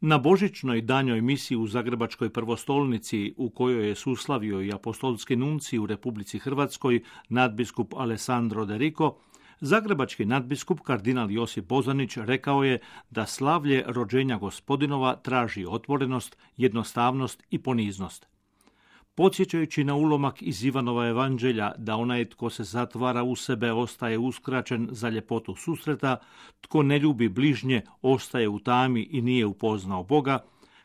Na božićnoj danjoj misiji u Zagrebačkoj prvostolnici, u kojoj je suslavio i apostolski nuncij u Republici Hrvatskoj, nadbiskup Alessandro De Rico, zagrebački nadbiskup kardinal Josip Bozanić rekao je da slavlje rođenja Gospodinova traži otvorenost, jednostavnost i poniznost. Podsjećajući na ulomak iz Ivanova evanđelja da onaj tko se zatvara u sebe ostaje uskraćen za ljepotu susreta, tko ne ljubi bližnje ostaje u tami i nije upoznao Boga,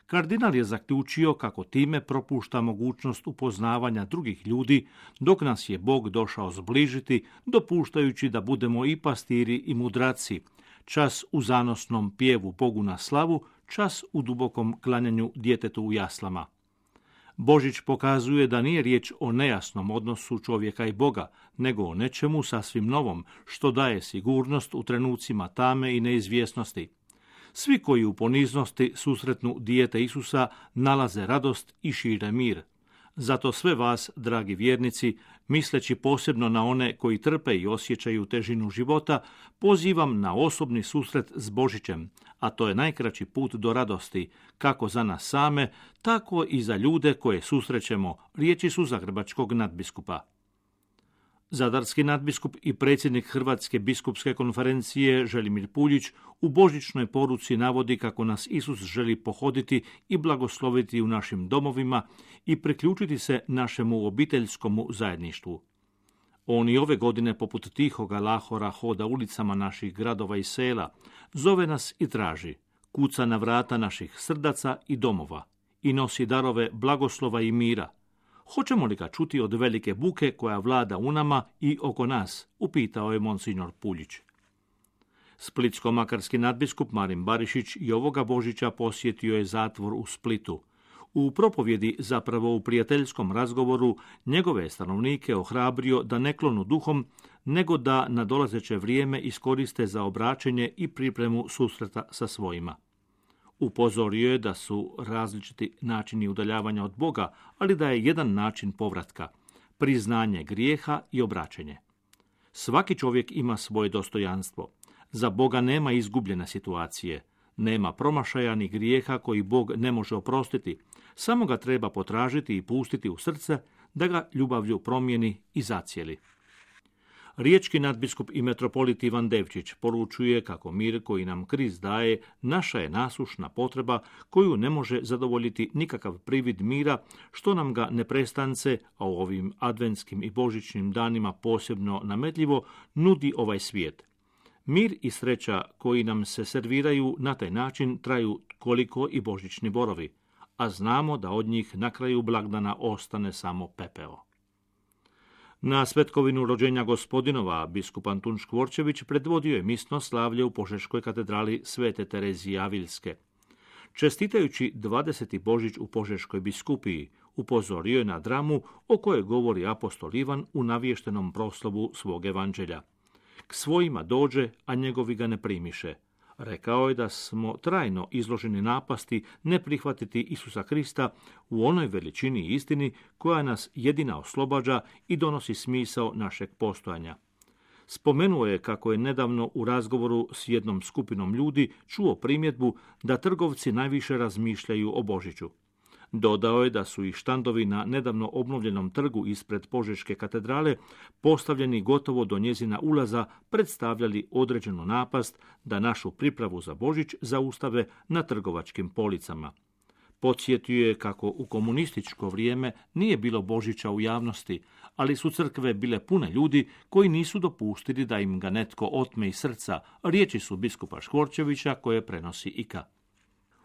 kardinal je zaključio kako time propušta mogućnost upoznavanja drugih ljudi, dok nas je Bog došao zbližiti, dopuštajući da budemo i pastiri i mudraci, čas u zanosnom pjevu Bogu na slavu, čas u dubokom klanjanju djetetu u jaslama. Božić pokazuje da nije riječ o nejasnom odnosu čovjeka i Boga, nego o nečemu sasvim novom, što daje sigurnost u trenucima tame i neizvjesnosti. Svi koji u poniznosti susretnu dijete Isusa nalaze radost i šire mir. Zato sve vas, dragi vjernici, misleći posebno na one koji trpe i osjećaju težinu života, pozivam na osobni susret s Božićem, a to je najkraći put do radosti, kako za nas same, tako i za ljude koje susrećemo, riječi su zagrebačkog nadbiskupa. Zadarski nadbiskup i predsjednik Hrvatske biskupske konferencije Želimir Puljić u božićnoj poruci navodi kako nas Isus želi pohoditi i blagosloviti u našim domovima i priključiti se našemu obiteljskomu zajedništvu. On i ove godine poput tihoga lahora hoda ulicama naših gradova i sela, zove nas i traži, kuca na vrata naših srdaca i domova i nosi darove blagoslova i mira. Hoćemo li ga čuti od velike buke koja vlada u nama i oko nas, upitao je monsignor Puljić. Splitsko-makarski nadbiskup Marin Barišić i ovoga Božića posjetio je zatvor u Splitu. U propovjedi, zapravo u prijateljskom razgovoru, njegove stanovnike ohrabrio da ne klonu duhom, nego da nadolazeće vrijeme iskoriste za obraćenje i pripremu susreta sa svojima. Upozorio je da su različiti načini udaljavanja od Boga, ali da je jedan način povratka, priznanje grijeha i obraćenje. Svaki čovjek ima svoje dostojanstvo. Za Boga nema izgubljene situacije, nema promašaja ni grijeha koji Bog ne može oprostiti, samo ga treba potražiti i pustiti u srce da ga ljubavlju promijeni i zacijeli. Riječki nadbiskup i metropolit Ivan Devčić poručuje kako mir koji nam Krist daje naša je nasušna potreba koju ne može zadovoljiti nikakav privid mira, što nam ga neprestance, a u ovim adventskim i božićnim danima posebno nametljivo, nudi ovaj svijet. Mir i sreća koji nam se serviraju na taj način traju koliko i božićni borovi, a znamo da od njih na kraju blagdana ostane samo pepeo. Na svetkovinu rođenja Gospodinova biskup Antun Škvorčević predvodio je misno slavlje u Požeškoj katedrali Svete Terezije Avilske. Čestitajući 20. Božić u Požeškoj biskupiji, upozorio je na dramu o kojoj govori apostol Ivan u navještenom proslovu svog evanđelja. K svojima dođe, a njegovi ga ne primiše. Rekao je da smo trajno izloženi napasti ne prihvatiti Isusa Krista u onoj veličini i istini koja nas jedina oslobađa i donosi smisao našeg postojanja. Spomenuo je kako je nedavno u razgovoru s jednom skupinom ljudi čuo primjedbu da trgovci najviše razmišljaju o Božiću. Dodao je da su i štandovi na nedavno obnovljenom trgu ispred Požeške katedrale, postavljeni gotovo do njezina ulaza, predstavljali određenu napast da našu pripravu za Božić zaustave na trgovačkim policama. Podsjetio je kako u komunističko vrijeme nije bilo Božića u javnosti, ali su crkve bile pune ljudi koji nisu dopustili da im ga netko otme iz srca, riječi su biskupa Škvorčevića koje prenosi IKA.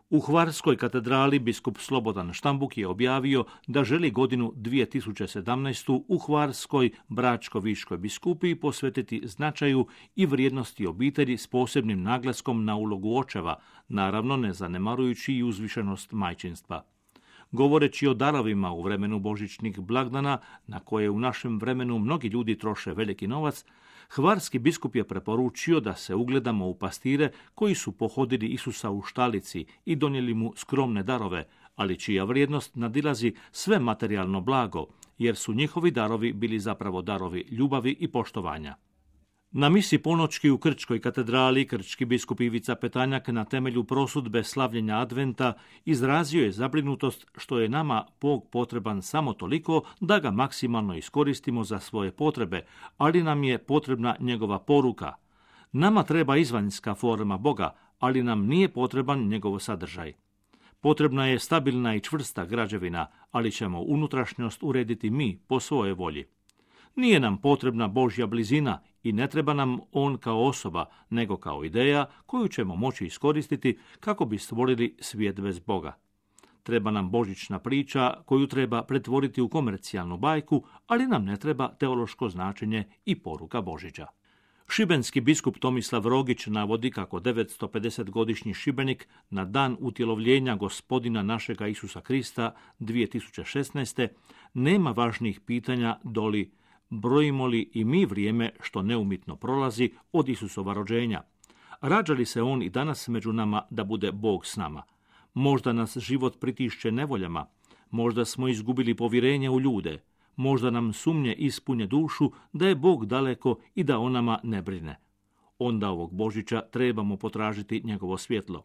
U Hvarskoj katedrali biskup Slobodan Štambuk je objavio da želi godinu 2017. u Hvarskoj Bračko-Viškoj biskupiji posvetiti značaju i vrijednosti obitelji s posebnim naglaskom na ulogu očeva, naravno ne zanemarujući i uzvišenost majčinstva. Govoreći o darovima u vremenu božićnih blagdana, na koje u našem vremenu mnogi ljudi troše veliki novac, hvarski biskup je preporučio da se ugledamo u pastire koji su pohodili Isusa u štalici i donijeli mu skromne darove, ali čija vrijednost nadilazi sve materijalno blago, jer su njihovi darovi bili zapravo darovi ljubavi i poštovanja. Na misi ponoćki u Krčkoj katedrali krčki biskup Ivica Petanjak na temelju prosudbe slavljenja adventa izrazio je zabrinutost što je nama Bog potreban samo toliko da ga maksimalno iskoristimo za svoje potrebe, ali nam je potrebna njegova poruka. Nama treba izvanjska forma Boga, ali nam nije potreban njegov sadržaj. Potrebna je stabilna i čvrsta građevina, ali ćemo unutrašnjost urediti mi po svojoj volji. Nije nam potrebna Božja blizina i ne treba nam on kao osoba, nego kao ideja koju ćemo moći iskoristiti kako bi stvorili svijet bez Boga. Treba nam božićna priča koju treba pretvoriti u komercijalnu bajku, ali nam ne treba teološko značenje i poruka Božića. Šibenski biskup Tomislav Rogić navodi kako 950-godišnji Šibenik na dan utjelovljenja Gospodina našega Isusa Krista 2016. nema važnijih pitanja doli brojimo li i mi vrijeme što neumitno prolazi od Isusova rođenja. Rađa li se on i danas među nama da bude Bog s nama? Možda nas život pritišće nevoljama, možda smo izgubili povjerenje u ljude, možda nam sumnje ispunje dušu da je Bog daleko i da o nama ne brine. Onda ovog Božića trebamo potražiti njegovo svjetlo,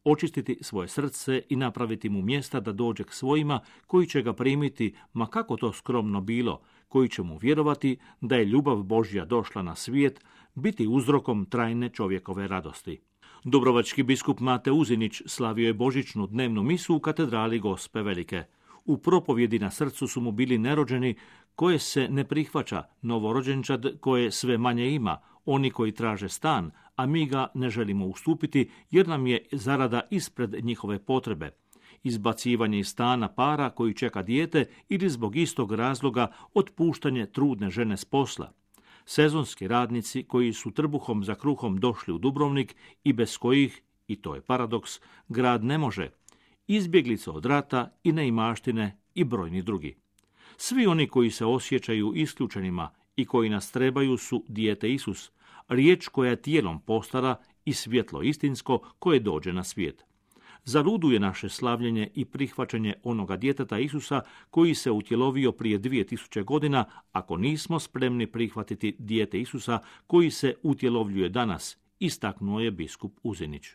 očistiti svoje srce i napraviti mu mjesta da dođe k svojima koji će ga primiti, ma kako to skromno bilo, koji će mu vjerovati da je ljubav Božja došla na svijet, biti uzrokom trajne čovjekove radosti. Dubrovački biskup Mate Uzinić slavio je božićnu dnevnu misu u katedrali Gospe Velike. U propovjedi na srcu su mu bili nerođeni koje se ne prihvaća, novorođenčad koje sve manje ima, oni koji traže stan, a mi ga ne želimo ustupiti jer nam je zarada ispred njihove potrebe. Izbacivanje iz stana para koji čeka dijete ili zbog istog razloga otpuštanje trudne žene s posla. Sezonski radnici koji su trbuhom za kruhom došli u Dubrovnik i bez kojih, i to je paradoks, grad ne može. Izbjeglice od rata i neimaštine i brojni drugi. Svi oni koji se osjećaju isključenima i koji nas trebaju su dijete Isus, riječ koja tijelom postara i svjetlo istinsko koje dođe na svijet. Zaluduje naše slavljenje i prihvaćanje onoga djeteta Isusa koji se utjelovio prije 2000 godina ako nismo spremni prihvatiti dijete Isusa koji se utjelovljuje danas, istaknuo je biskup Uzinić.